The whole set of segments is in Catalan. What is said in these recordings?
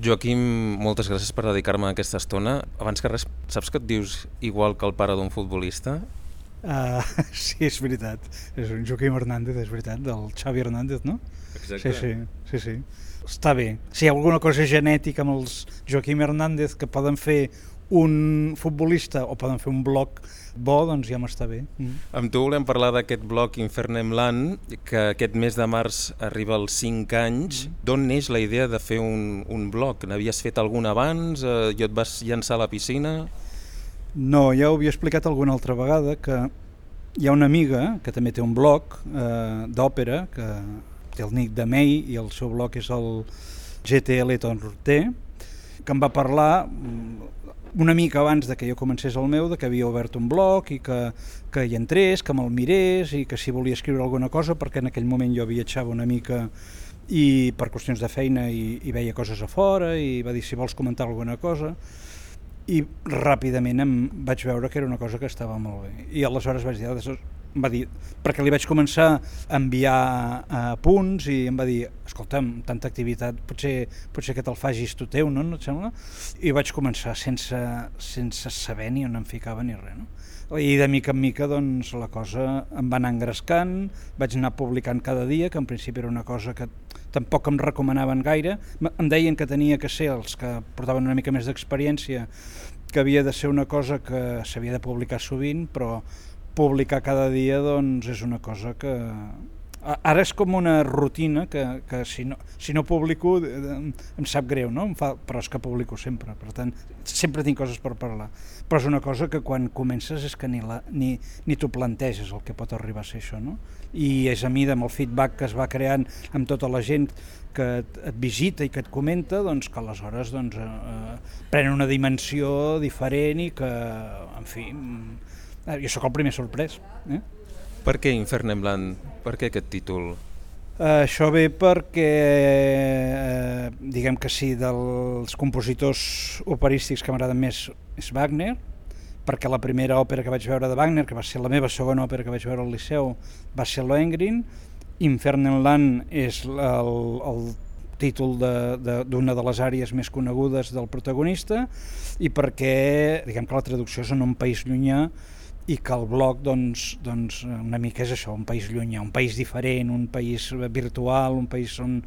Joaquim, moltes gràcies per dedicar-me a aquesta estona. Abans que res, saps que et dius igual que el pare d'un futbolista? Sí, és veritat. És un Joaquim Hernández, és veritat, del Xavi Hernández, no? Exacte. Sí. Està bé. Si hi ha alguna cosa genètica amb els Joaquim Hernández que poden fer un futbolista o poden fer un blog bo, doncs ja m'està bé. Amb tu volem parlar d'aquest blog Infernem Land, que aquest mes de març arriba als 5 anys. D'on neix la idea de fer un blog? N'havies fet algun abans? I et vas llançar a la piscina? No, ja ho havia explicat alguna altra vegada, que hi ha una amiga que també té un blog d'òpera, que té el nick de May i el seu blog és el GTL Torté, que em va parlar una mica abans de que jo comencés el meu, de que havia obert un blog i que hi entrés, que me'l mirés i que si volia escriure alguna cosa, perquè en aquell moment jo viatjava una mica i per qüestions de feina i veia coses a fora i va dir si vols comentar alguna cosa, i ràpidament em vaig veure que era una cosa que estava molt bé i aleshores vaig dir, em va dir, perquè li vaig començar a enviar punts i em va dir, escolta'm, tanta activitat potser que te'l facis tu teu, no et sembla? I vaig començar sense saber ni on em ficava ni res, no? I de mica en mica doncs, la cosa em va anar engrescant, vaig anar publicant cada dia, que en principi era una cosa que tampoc em recomanaven gaire, em deien que tenia que ser els que portaven una mica més d'experiència, que havia de ser una cosa que s'havia de publicar sovint, però publicar cada dia doncs, és una cosa que... Ara és com una rutina que si no publico em sap greu, no? Però és que publico sempre, per tant sempre tinc coses per parlar, però és una cosa que quan comences és que ni t'ho planteges el que pot arribar a ser això, no? I és a mida amb el feedback que es va creant amb tota la gent que et visita i que et comenta, doncs que aleshores pren una dimensió diferent i que, en fi, jo sóc el primer sorprès. Per què Infernem Land? Per què aquest títol? Això ve perquè, diguem que sí, dels compositors operístics que m'agraden més és Wagner, perquè la primera òpera que vaig veure de Wagner, que va ser la meva segona òpera que vaig veure al Liceu, va ser Lohengrin. Infernem Land és el títol d'una de les àrees més conegudes del protagonista i perquè, diguem que la traducció és en un país llunyà i que el blog doncs una mica és això, un país llunyà, un país diferent, un país virtual, un país on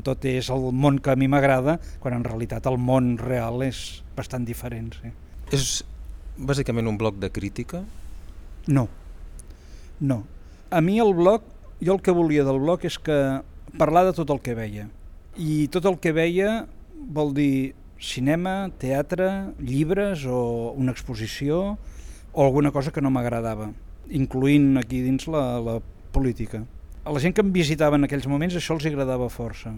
tot és el món que a mi m'agrada, quan en realitat el món real és bastant diferent. Sí. És bàsicament un blog de crítica? No. A mi el blog, jo el que volia del blog és que parlar de tot el que veia. I tot el que veia vol dir cinema, teatre, llibres o una exposició o alguna cosa que no m'agradava, incloent aquí dins la política. A la gent que em visitava en aquells moments això els agradava força.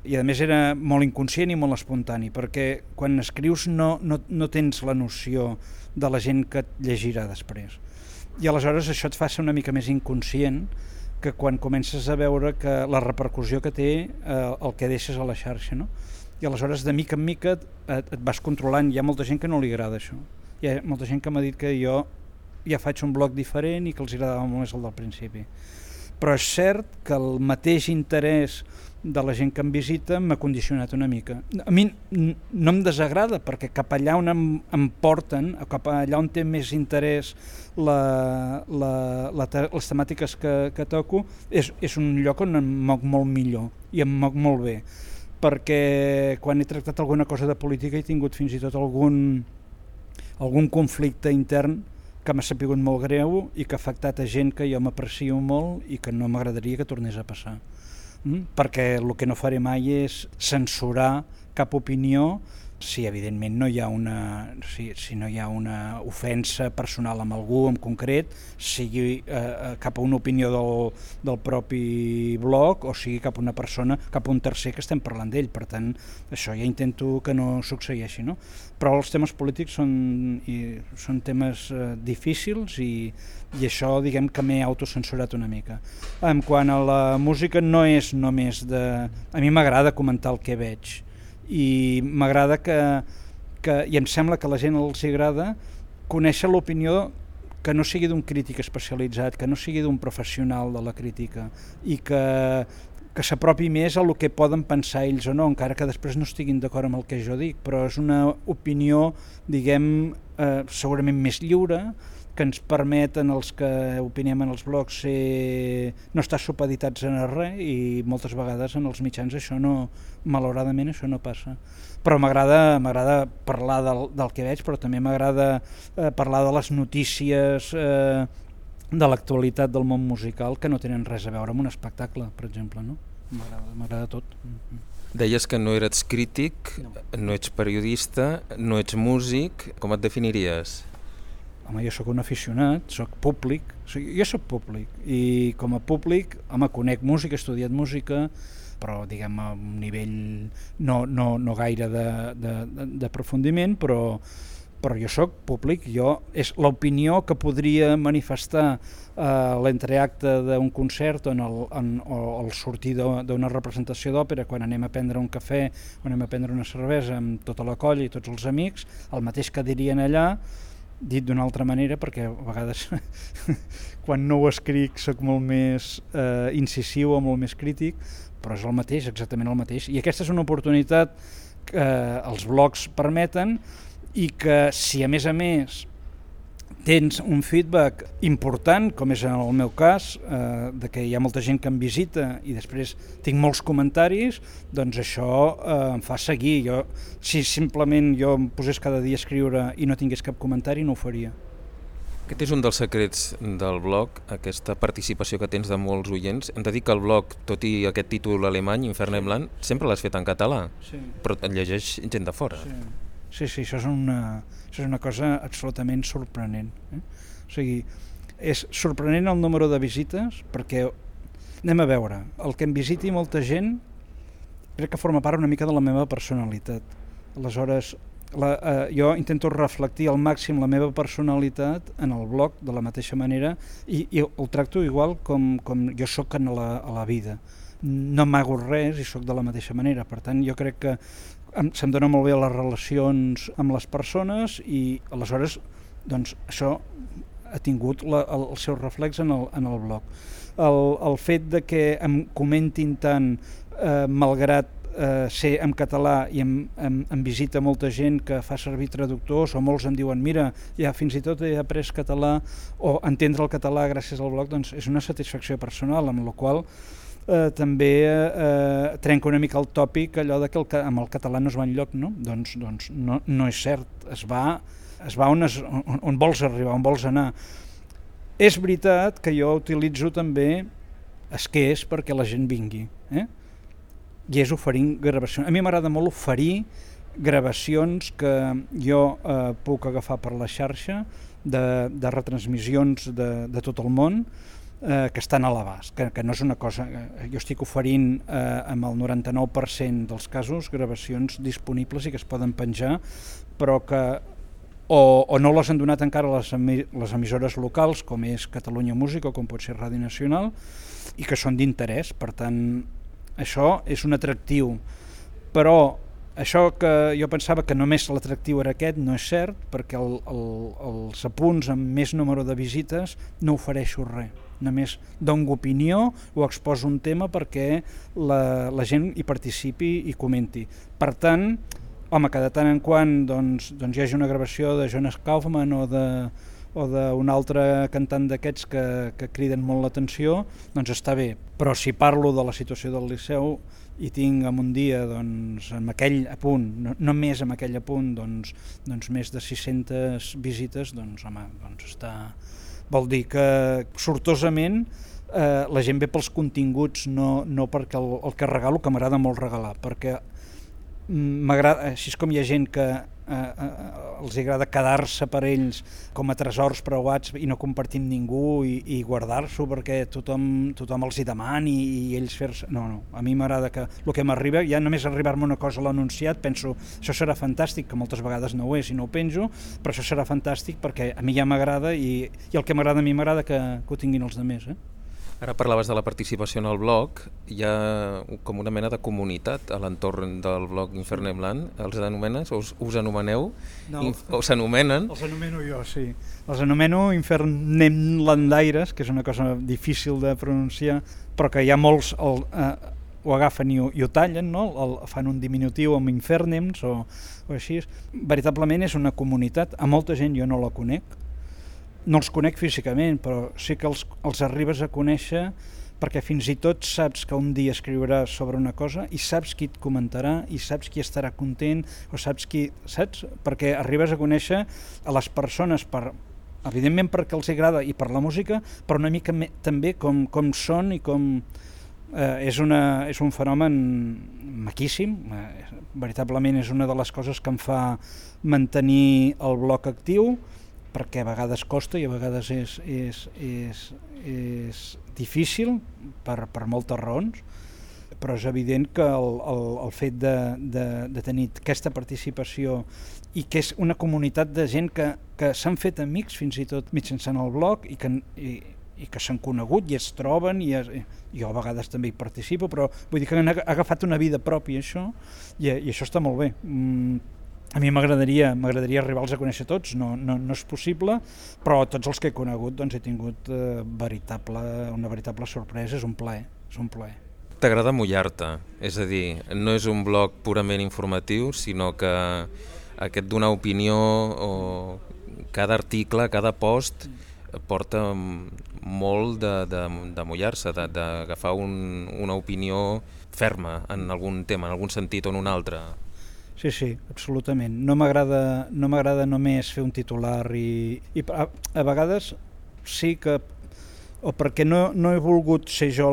I a més era molt inconscient i molt espontani, perquè quan escrius no tens la noció de la gent que et llegirà després. I aleshores això et fa ser una mica més inconscient que quan comences a veure que la repercussió que té el que deixes a la xarxa, no? I aleshores de mica en mica et vas controlant. Hi ha molta gent que no li agrada això. Hi ha molta gent que m'ha dit que jo ja faig un blog diferent i que els agradava molt més el del principi. Però és cert que el mateix interès de la gent que em visita m'ha condicionat una mica. A mi no em desagrada, perquè cap allà on em porten, cap allà on té més interès les temàtiques que toco, és un lloc on em moc molt millor i em moc molt bé. Perquè quan he tractat alguna cosa de política he tingut fins i tot algun conflicte intern que m'ha sapigut molt greu i que ha afectat a gent que jo m'aprecio molt i que no m'agradaria que tornés a passar. Perquè el que no faré mai és censurar cap opinió si evidentment no hi ha si no hi ha una ofensa personal amb algú en concret, sigui cap a una opinió del propi blog o sigui cap a una persona, cap a un tercer que estem parlant d'ell. Per tant, això ja intento que no succeeixi, no? Però els temes polítics són temes difícils i això, diguem que m'he autocensurat una mica. En quant a la música, no és només de... A mi m'agrada comentar el que veig i m'agrada i em sembla que a la gent els agrada conèixer l'opinió que no sigui d'un crític especialitzat, que no sigui d'un professional de la crítica i que que s'apropi més a el que poden pensar ells o no, encara que després no estiguin d'acord amb el que jo dic, però és una opinió, diguem, segurament més lliure, que ens permeten els que opinem en els blogs no estar supeditats a res, i moltes vegades en els mitjans això no, malauradament això no passa. Però m'agrada parlar del que veig, però també m'agrada parlar de les notícies de l'actualitat del món musical que no tenen res a veure amb un espectacle, per exemple, no? M'agrada tot. Deies que no eres crític, no ets periodista, no ets músic, com et definiries? Home, jo sóc un aficionat, sóc públic, jo sóc públic, i com a públic, conec música, he estudiat música, però diguem a un nivell no gaire d'aprofundiment, però jo sóc públic, és l'opinió que podria manifestar l'entreacte d'un concert o el sortir d'una representació d'òpera quan anem a prendre un cafè o anem a prendre una cervesa amb tota la colla i tots els amics, el mateix que dirien allà, dit d'una altra manera, perquè a vegades quan no ho escric soc molt més incisiu o molt més crític, però és el mateix, exactament el mateix. I aquesta és una oportunitat que els blogs permeten, i que si a més tens un feedback important, com és en el meu cas, de que hi ha molta gent que em visita i després tinc molts comentaris, doncs això em fa seguir. Si simplement jo em posés cada dia a escriure i no tingués cap comentari, no ho faria. Aquest és un dels secrets del blog, aquesta participació que tens de molts oients. Hem de dir que el blog, tot i aquest títol alemany, Infern im Land, sempre l'has fet en català, però et llegeix gent de fora. Sí, això és una cosa absolutament sorprenent. O sigui, és sorprenent el número de visites, perquè anem a veure, el que em visiti molta gent crec que forma part una mica de la meva personalitat. Aleshores, jo intento reflectir al màxim la meva personalitat en el blog de la mateixa manera, i ho tracto igual com jo sóc a la vida. No m'amago res i sóc de la mateixa manera. Per tant, jo crec que se'm dona molt bé les relacions amb les persones, i aleshores doncs, això ha tingut el seu reflex en el blog. El fet de que em comentin tant, malgrat ser en català, i em visita molta gent que fa servir traductors, o molts em diuen mira, ja fins i tot he après català, o entendre el català gràcies al blog, doncs és una satisfacció personal, amb la qual també trenca una mica el tòpic allò de que amb el català no es va enlloc, no? Doncs no és cert, es va on vols arribar, on vols anar. És veritat que jo utilitzo també esquers perquè la gent vingui, i és oferint gravacions. A mi m'agrada molt oferir gravacions que jo puc agafar per la xarxa de retransmissions de tot el món, que estan a l'abast, que no és una cosa... Jo estic oferint amb el 99% dels casos gravacions disponibles i que es poden penjar, però que o no les han donat encara les emissores locals, com és Catalunya Música o com pot ser Ràdio Nacional, i que són d'interès. Per tant, això és un atractiu. Però això que jo pensava que només l'atractiu era aquest, no és cert, perquè els apunts amb més número de visites no ofereixo res. Només dono opinió o exposo un tema perquè la gent hi participi i comenti. Per tant, home, que de tant en quant doncs hi hagi una gravació de Jonas Kaufmann o d'un altre cantant d'aquests que criden molt l'atenció, doncs està bé. Però si parlo de la situació del Liceu i tinc en un dia, doncs, amb aquell apunt, només amb aquell apunt, doncs més de 600 visites, doncs, home, doncs està... Vol dir que sortosament la gent ve pels continguts, no perquè el que regalo, que m'agrada molt regalar, perquè m'agrada, així com hi ha gent que els agrada quedar-se per ells com a tresors preuats i no compartir amb ningú i guardar-s'ho perquè tothom els hi demani i ells fer-se... No, a mi m'agrada que el que m'arriba, ja només arribar-me una cosa a l'anunciat, penso, això serà fantàstic, que moltes vegades no ho és i no ho penjo, però això serà fantàstic perquè a mi ja m'agrada i el que m'agrada a mi m'agrada que ho tinguin els altres, Ara parlaves de la participació en el blog, hi ha com una mena de comunitat a l'entorn del blog Infern im Land, els anomenes, us anomeneu, o s'anomenen? Els anomeno jo, sí. Els anomeno Infern im Landaires, que és una cosa difícil de pronunciar, però que hi ha molts... ho agafen i ho tallen, no? Fan un diminutiu amb Infernems o així. Veritablement és una comunitat, a molta gent jo no la conec, no els conec físicament, però sí que els arribes a conèixer perquè fins i tot saps que un dia escriuràs sobre una cosa i saps qui et comentarà i saps qui estarà content o saps qui... saps? Perquè arribes a conèixer a les persones evidentment perquè els agrada i per la música, però una mica també com són i com... és un fenomen maquíssim, veritablement és una de les coses que em fa mantenir el blog actiu, perquè a vegades costa i a vegades és difícil per moltes raons, però és evident que el fet de tenir aquesta participació i que és una comunitat de gent que s'han fet amics fins i tot mitjançant el blog i que s'han conegut i es troben i jo a vegades també hi participo, però vull dir que han agafat una vida pròpia això i això està molt bé. A mi m'agradaria arribar-los a conèixer tots, no és possible, però tots els que he conegut doncs, he tingut una veritable sorpresa, és un plaer. T'agrada mullar-te, és a dir, no és un blog purament informatiu, sinó que aquest donar opinió o cada article, cada post porta molt de mullar-se, d'agafar una opinió ferma en algun tema, en algun sentit o en un altre. Sí, absolutament. No m'agrada només fer un titular i a vegades sí que, o perquè no he volgut ser jo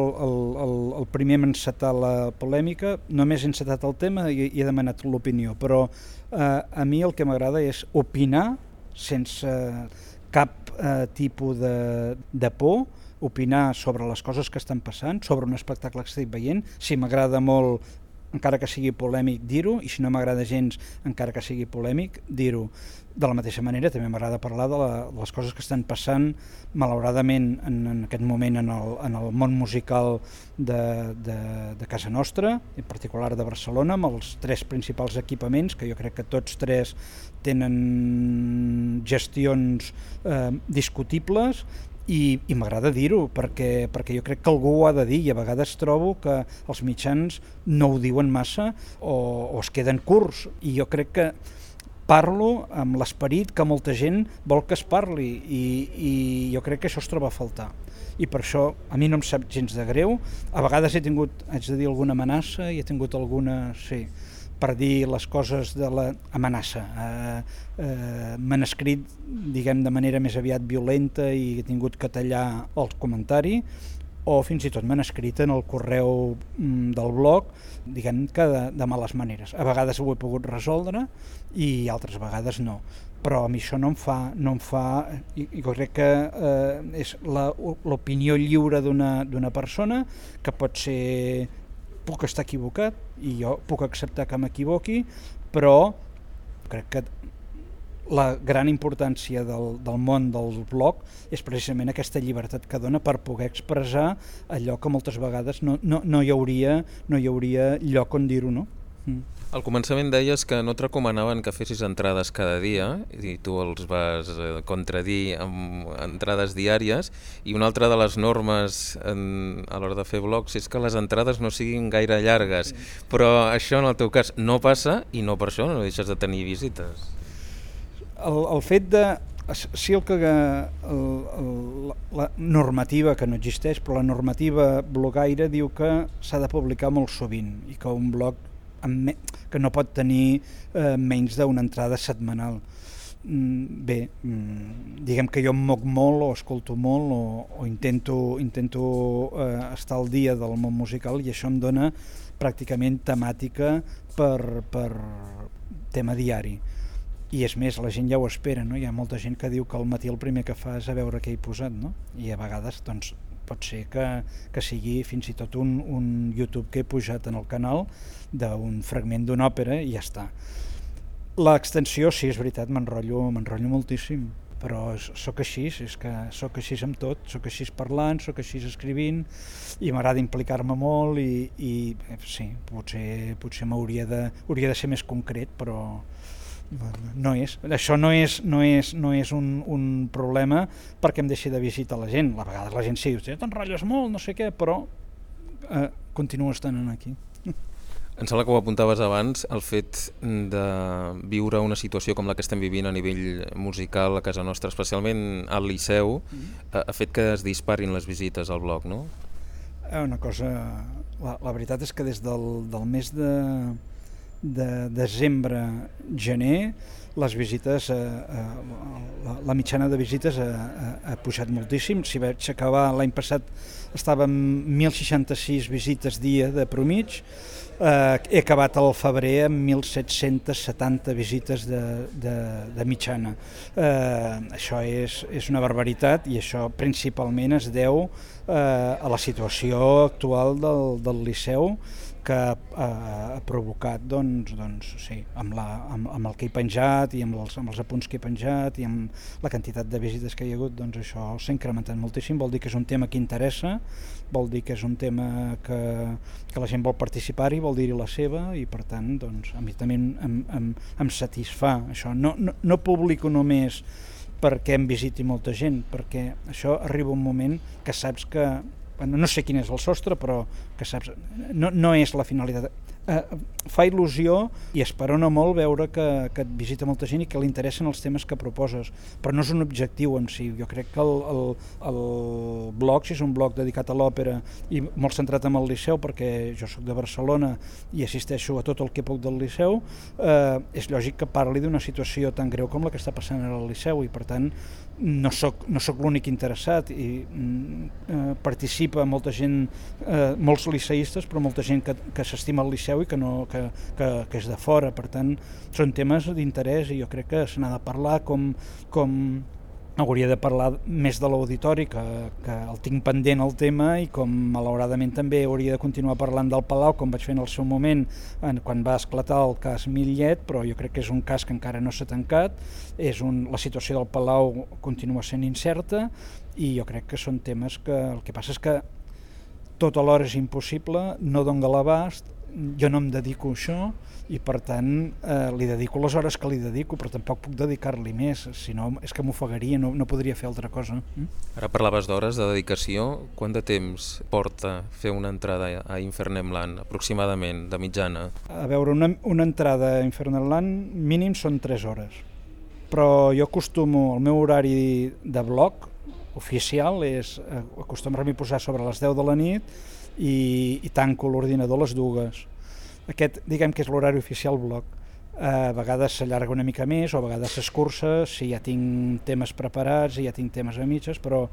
el primer a encetar la polèmica, només he encetat el tema i he demanat l'opinió, però a mi el que m'agrada és opinar sense cap tipus de por, opinar sobre les coses que estan passant, sobre un espectacle que estic veient, si m'agrada molt encara que sigui polèmic, dir-ho, i si no m'agrada gens, encara que sigui polèmic, dir-ho. De la mateixa manera, també m'agrada parlar de les coses que estan passant, malauradament, en aquest moment en el món musical de casa nostra, en particular de Barcelona, amb els 3 principals equipaments, que jo crec que tots 3 tenen gestions discutibles, i m'agrada dir-ho perquè jo crec que algú ho ha de dir i a vegades trobo que els mitjans no ho diuen massa o es queden curts i jo crec que parlo amb l'esperit que molta gent vol que es parli i jo crec que això es troba a faltar i per això a mi no em sap gens de greu, a vegades haig de dir alguna amenaça i he tingut alguna, sí, per dir les coses de l'amenaça. M'han escrit, diguem, de manera més aviat violenta i he tingut que tallar el comentari, o fins i tot m'han escrit en el correu del blog, diguem que de males maneres. A vegades ho he pogut resoldre i altres vegades no. Però a mi això no em fa i jo crec que és l'opinió lliure d'una persona que pot ser... puc estar equivocat i jo puc acceptar que m'equivoqui, però crec que la gran importància del món del blog és precisament aquesta llibertat que dona per poder expressar allò que moltes vegades no hi hauria lloc on dir-ho, no? Al començament deies que no et recomanaven que fessis entrades cada dia i tu els vas contradir amb entrades diàries i una altra de les normes a l'hora de fer blogs és que les entrades no siguin gaire llargues, però això en el teu cas no passa i no per això no deixes de tenir visites. El fet de... Sí, la normativa, que no existeix, però la normativa blogaire diu que s'ha de publicar molt sovint i que un blog que no pot tenir menys d'una entrada setmanal. Bé, diguem que jo em moc molt o escolto molt o intento estar al dia del món musical i això em dona pràcticament temàtica per tema diari. I és més, la gent ja ho espera, no? Hi ha molta gent que diu que al matí el primer que fa és a veure què he posat, no? I a vegades doncs, pot ser que sigui fins i tot un YouTube que he pujat en el canal d'un fragment d'una òpera i ja està. L'extensió, sí, és veritat, m'enrotllo moltíssim, però sóc així, és que sóc així amb tot, sóc així parlant, sóc així escrivint i m'agrada implicar-me molt i sí, potser hauria de ser més concret, però no és. Això no és un problema perquè em deixi de visitar la gent. A vegades la gent sí, t'enrotlles molt, no sé què, però continuo estant aquí. Em sembla que ho apuntaves abans, el fet de viure una situació com la que estem vivint a nivell musical a casa nostra, especialment al Liceu, ha fet que es disparin les visites al blog, no? Una cosa... La veritat és que des del mes de desembre-gener les visites, la mitjana de visites ha pujat moltíssim. Si vaig acabar l'any passat estàvem 1.066 visites dia de promig, he acabat al febrer amb 1.770 visites de mitjana. Això és una barbaritat i això principalment es deu a la situació actual del Liceu, que ha provocat sí, amb el que he penjat i amb els apunts que he penjat i amb la quantitat de visites que hi ha hagut, això s'ha incrementat moltíssim. Vol dir que és un tema que interessa, vol dir que és un tema que la gent vol participar-hi, vol dir-hi la seva, i per tant a mi també em satisfà això. No publico només perquè em visiti molta gent, perquè això arriba un moment que saps que no sé quin és el sostre, però que saps, no és la finalitat. Fa il·lusió i esperona molt veure que et visita molta gent i que li interessen els temes que proposes, però no és un objectiu en si. Jo crec que el blog, si és un blog dedicat a l'òpera i molt centrat en el Liceu, perquè jo soc de Barcelona i assisteixo a tot el que puc del Liceu, és lògic que parli d'una situació tan greu com la que està passant ara al Liceu, i per tant no soc l'únic interessat, i participa molta gent, molts liceistes, però molta gent que s'estima el Liceu i que és de fora. Per tant, són temes d'interès i jo crec que se n'ha de parlar com hauria de parlar més de l'auditori, que el tinc pendent el tema, i com malauradament també hauria de continuar parlant del Palau, com vaig fer en el seu moment quan va esclatar el cas Millet, però jo crec que és un cas que encara no s'ha tancat. La situació del Palau continua sent incerta i jo crec que són temes que el que passa és que tot alhora és impossible, no dona l'abast, jo no em dedico a això i per tant li dedico les hores que li dedico, però tampoc puc dedicar-li més, si no és que m'ofegaria, no podria fer altra cosa. Ara parlaves d'hores de dedicació, quant de temps porta fer una entrada a Infernemland, aproximadament, de mitjana? A veure, una entrada a Infernemland mínim són 3 hores, però jo acostumo, el meu horari de blog oficial és acostumar-m'hi a posar sobre les 10 de la nit i tanco l'ordinador a les 2. Aquest, diguem que és l'horari oficial blog. A vegades s'allarga una mica més, o a vegades s'escurça, si ja tinc temes preparats i ja tinc temes a mitges, però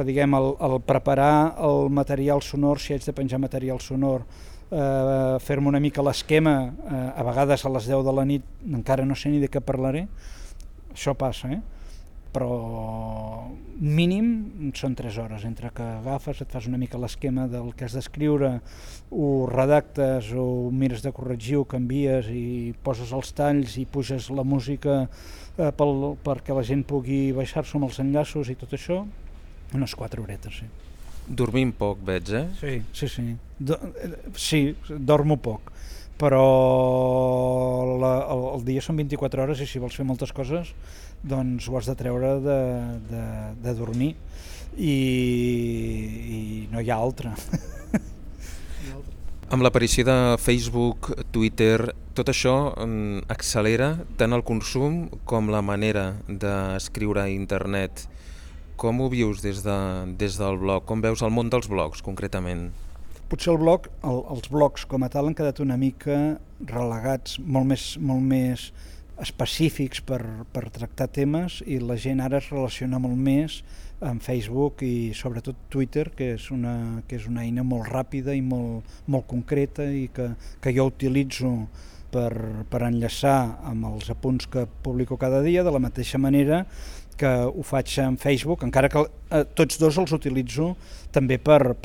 diguem, el preparar el material sonor, si haig de penjar material sonor, fer-me una mica l'esquema, a vegades a les 10 de la nit encara no sé ni de què parlaré, això passa, però mínim són 3 hores, entre que agafes, et fas una mica l'esquema del que has d'escriure, ho redactes, ho mires de corregir, ho canvies i poses els talls i puges la música perquè la gent pugui baixar-s'ho amb els enllaços i tot això, unes 4 horetes, sí. Dormim poc, veig, Sí. Sí, dormo poc, però el dia són 24 hores i si vols fer moltes coses doncs ho has de treure de dormir i no hi ha altra. Amb l'aparició de Facebook, Twitter, tot això accelera tant el consum com la manera d'escriure a internet. Com ho vius des del blog? Com veus el món dels blogs, concretament? Potser els blogs com a tal han quedat una mica relegats, molt més específics per tractar temes, i la gent ara es relaciona molt més amb Facebook i sobretot Twitter, que és una eina molt ràpida i molt concreta i que jo utilitzo per enllaçar amb els apunts que publico cada dia, de la mateixa manera que ho faig en Facebook, encara que tots dos els utilitzo també per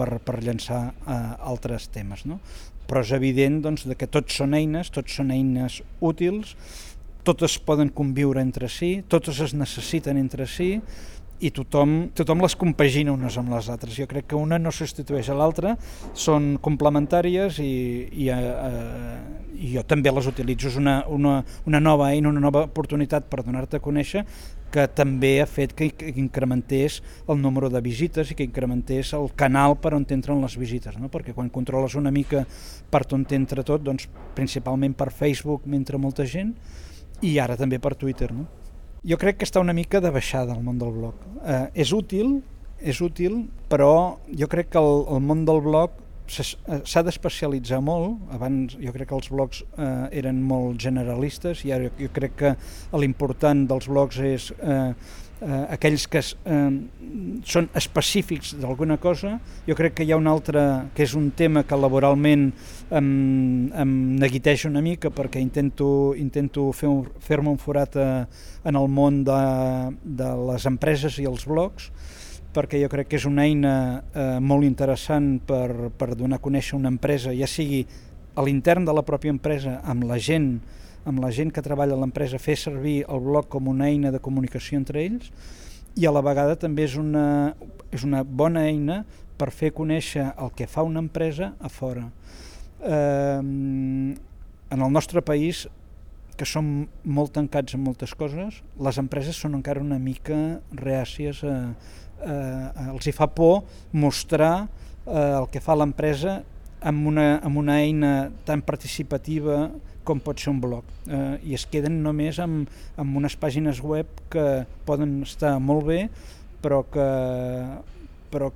llançar altres temes, no? Però és evident que tots són eines útils, totes poden conviure entre si, totes es necessiten entre si i tothom les compagina unes amb les altres. Jo crec que una no substitueix a l'altra, són complementàries i jo també les utilitzo. És una nova eina, una nova oportunitat per donar-te a conèixer, que també ha fet que incrementés el número de visites i que incrementés el canal per on t'entren les visites, no? Perquè quan controles una mica per on t'entra tot, doncs principalment per Facebook m'entra molta gent i ara també per Twitter, no? Jo crec que està una mica de baixada el món del blog. És útil, però jo crec que el món del blog s'ha d'especialitzar molt. Abans jo crec que els blogs eren molt generalistes i ara jo crec que l'important dels blogs és aquells que són específics d'alguna cosa. Jo crec que hi ha un altre, que és un tema que laboralment em neguiteja una mica perquè intento fer-me un forat en el món de les empreses i els blogs, perquè jo crec que és una eina molt interessant per donar a conèixer una empresa, ja sigui a l'intern de la pròpia empresa, amb la gent que treballa a l'empresa, fer servir el blog com una eina de comunicació entre ells, i a la vegada també és una bona eina per fer conèixer el que fa una empresa a fora. En el nostre país, que som molt tancats en moltes coses, les empreses són encara una mica reàcies els hi fa por mostrar el que fa l'empresa amb una eina tan participativa com pot ser un blog, i es queden només amb unes pàgines web que poden estar molt bé però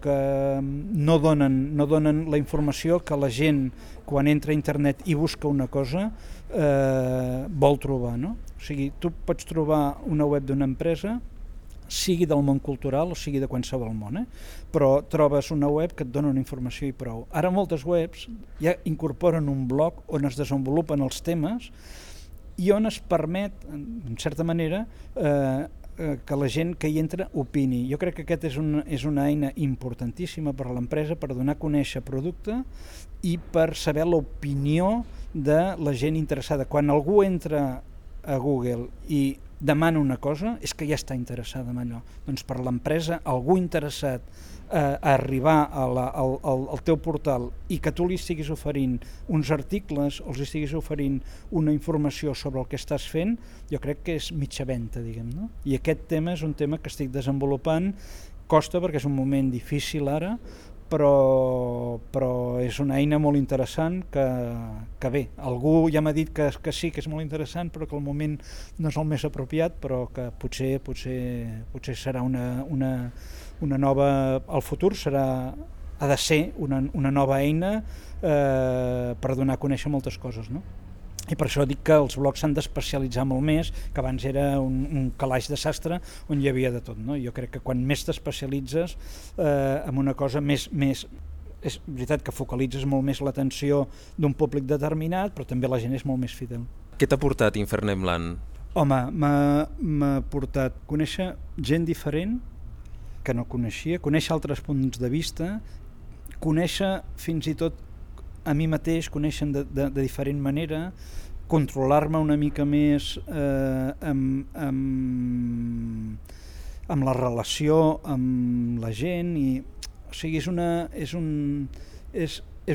que no donen la informació que la gent quan entra a internet i busca una cosa vol trobar, no? O sigui, tu pots trobar una web d'una empresa, sigui del món cultural o sigui de qualsevol món, però trobes una web que et dona una informació i prou. Ara moltes webs ja incorporen un blog on es desenvolupen els temes i on es permet, en certa manera, que la gent que hi entra opini. Jo crec que aquesta és una eina importantíssima per a l'empresa per donar a conèixer producte i per saber l'opinió de la gent interessada. Quan algú entra a Google i demana una cosa, és que ja està interessada en allò. Doncs per l'empresa, algú interessat a arribar al teu portal i que tu li estiguis oferint uns articles o els estiguis oferint una informació sobre el que estàs fent, jo crec que és mitja venda, diguem, no? I aquest tema és un tema que estic desenvolupant, costa perquè és un moment difícil ara, però és una eina molt interessant que bé, algú ja m'ha dit que sí, que és molt interessant, però que al moment no és el més apropiat, però que potser serà una nova, el futur ha de ser una nova eina per donar a conèixer moltes coses, no? I per això dic que els blogs s'han d'especialitzar molt més, que abans era un calaix de sastre on hi havia de tot, no? Jo crec que quan més t'especialitzes en una cosa més és veritat que focalitzes molt més l'atenció d'un públic determinat, però també la gent és molt més fidel. Què t'ha portat Infernemland? Home, m'ha portat conèixer gent diferent que no coneixia, conèixer altres punts de vista, conèixer fins i tot a mi mateix, conèixer de diferent manera, controlar-me una mica més amb la relació amb la gent, o sigui, és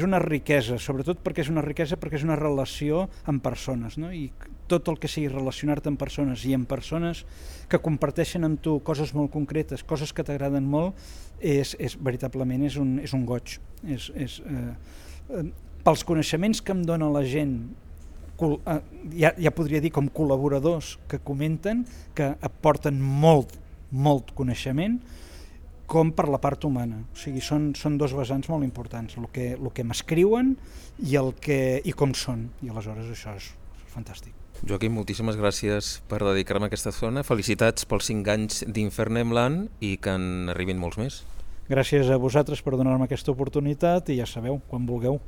una riquesa, sobretot perquè és una relació amb persones, no? I tot el que sigui relacionar-te amb persones i amb persones que comparteixen amb tu coses molt concretes, coses que t'agraden molt, veritablement és un goig. Pels coneixements que em dona la gent, ja podria dir com col·laboradors que comenten, que aporten molt coneixement, com per la part humana. O sigui, són dos vessants molt importants, el que m'escriuen i com són, i aleshores això és fantàstic. Joaquim, moltíssimes gràcies per dedicar-me a aquesta estona. Felicitats pels 5 anys d'Infernemland i que en arribin molts més. Gràcies a vosaltres per donar-me aquesta oportunitat i ja sabeu, quan vulgueu.